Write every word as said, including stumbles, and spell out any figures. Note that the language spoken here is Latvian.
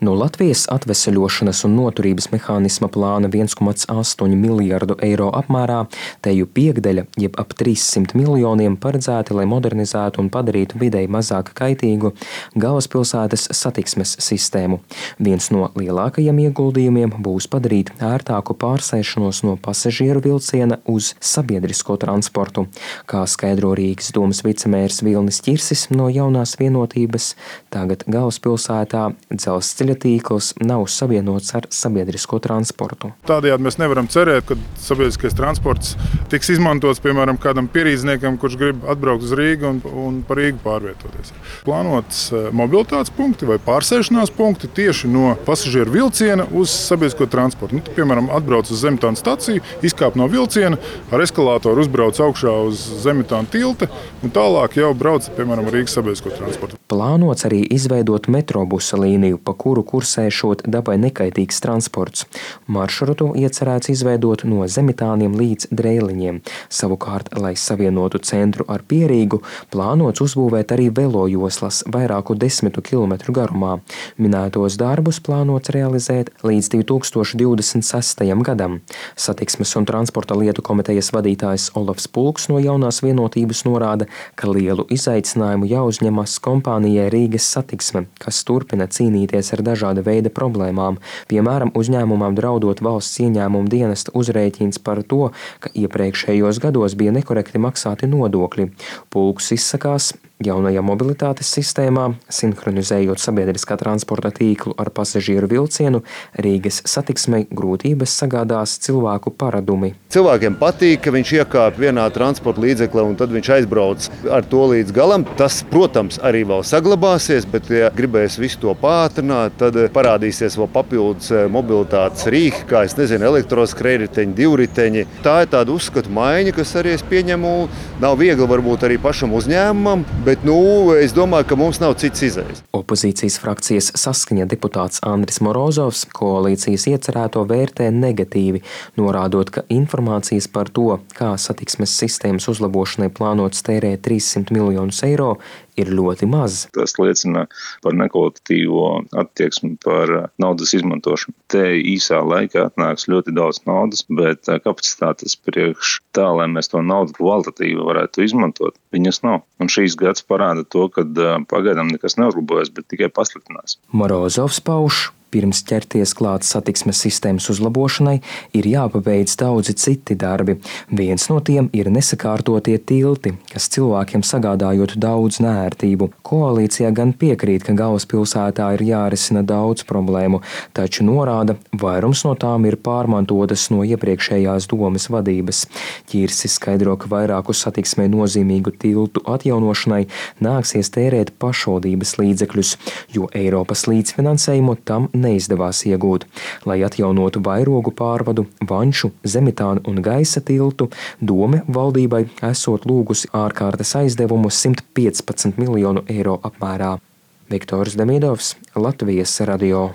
No Latvijas atveseļošanas un noturības mehānisma plāna viens komats astoņi miljardu eiro apmērā teju piekdaļa, jeb ap trīssimt miljoniem paredzēti, lai modernizētu un padarītu videi mazāk kaitīgu galvaspilsētas satiksmes sistēmu. Viens no lielākajiem ieguldījumiem būs padarīt ērtāku pārsēšanos no pasažieru vilciena uz sabiedrisko transportu. Kā skaidro Rīgas domas vicemērs Vilnis Ķirsis no Jaunās vienotības, tagad galvaspilsētā dzelzceļa tīkls nav savienots ar sabiedrisko transportu. Tādējādi mēs nevaram cerēt, ka sabiedriskais transports tiks izmantots, piemēram, kādam pierīdzniekam, kurš grib atbraukt uz Rīgu un, un par Rīgu pārvietoties. Plānots mobilitātes punkti vai pārsēšanās punkti tieši no pasažieru vilciena uz sabiedrisko transportu. Nu, tu, piemēram, atbrauc uz Zemitāna staciju, izkāp no vilciena, ar eskalātoru uzbrauc augšā uz Zemitāna tilta un tālāk jau brauc, piemēram, Rīgas sabiedrisko transportu. Plānots arī izveidot metrobusa līniju, pa kuru kursēšot dabai nekaitīgs transports. Maršrutu iecerēts izveidot no Zemitāniem līdz Dreiliņiem. Savukārt, lai savienotu centru ar Pierīgu, plānots uzbūvēt arī velojoslas vairāku desmitu kilometru garumā. Minētos darbus plānots realizēt līdz divi tūkstoši divdesmit sestajam gadam. Satiksmes un transporta lietu komitejas vadītājs Olafs Pulks no Jaunās vienotības norāda, ka lielu izaicinājumu jāuzņemas kompānijai Rīgas satiksme, kas turpina cīnīties ar dažāda veida problēmām, piemēram, uzņēmumam draudot valsts ieņēmumu dienesta uzrēķins par to, ka iepriekšējos gados bija nekorekti maksāti nodokļi. Pulks izsakās, jaunajā mobilitātes sistēmā, sinhronizējot sabiedriskā transporta tīklu ar pasažieru vilcienu, Rīgas satiksmei grūtības sagādās cilvēku paradumi. Cilvēkiem patīk, ka viņš iekāp vienā transporta līdzeklē un tad viņš aizbrauc ar to līdz galam. Tas, protams, arī vēl saglabāsies, bet, ja gribēs visu to pātrināt, tad parādīsies vēl papildus mobilitātes rīki, kā es nezinu, elektroskrējriteņi, divriteņi. Tā ir tāda uzskatu maiņa, kas arī es pieņemu, nav viegli varbūt arī pašam uzņēmumam, bet, nu, es domāju, ka mums nav cits izējas. Opozīcijas frakcijas Saskaņa deputāts Andris Morozovs koalīcijas iecerēto vērtē negatīvi, norādot, ka informācijas par to, kā satiksmes sistēmas uzlabošanai plānots tērēt trīssimt miljonus eiro, ir ļoti maz. Tas liecina par nekvalitatīvo attieksmi par naudas izmantošanu. Te īsā laikā atnāks ļoti daudz naudas, bet kapacitātes priekš tā, lai mēs to naudu kvalitatīvi varētu izmantot, viņas nav. Un šīs gads parāda to, ka pagaidām nekas neuzlabojas, bet tikai pasliktinās. Morozovs pauž, pirms ķerties klāt satiksmes sistēmas uzlabošanai, ir jāpabeidz daudzi citi darbi. Viens no tiem ir nesakārtotie tilti, kas cilvēkiem sagādājot daudz neērtību. Koalīcijā gan piekrīt, ka galvaspilsētā ir jārisina daudz problēmu, taču norāda, vairums no tām ir pārmantotas no iepriekšējās domas vadības. Ķirsis skaidro, ka vairāku satiksmei nozīmīgu tiltu atjaunošanai nāksies tērēt pašvaldības līdzekļus, jo Eiropas līdzfinansējumu tam neizdevās iegūt. Lai atjaunotu vairogu pārvadu, Vanču, Zemitāna un Gaisa tiltu, dome valdībai esot lūgusi ārkārtas aizdevumu simt piecpadsmit miljonu eiro apmērā. Viktors Demidovs, Latvijas radio.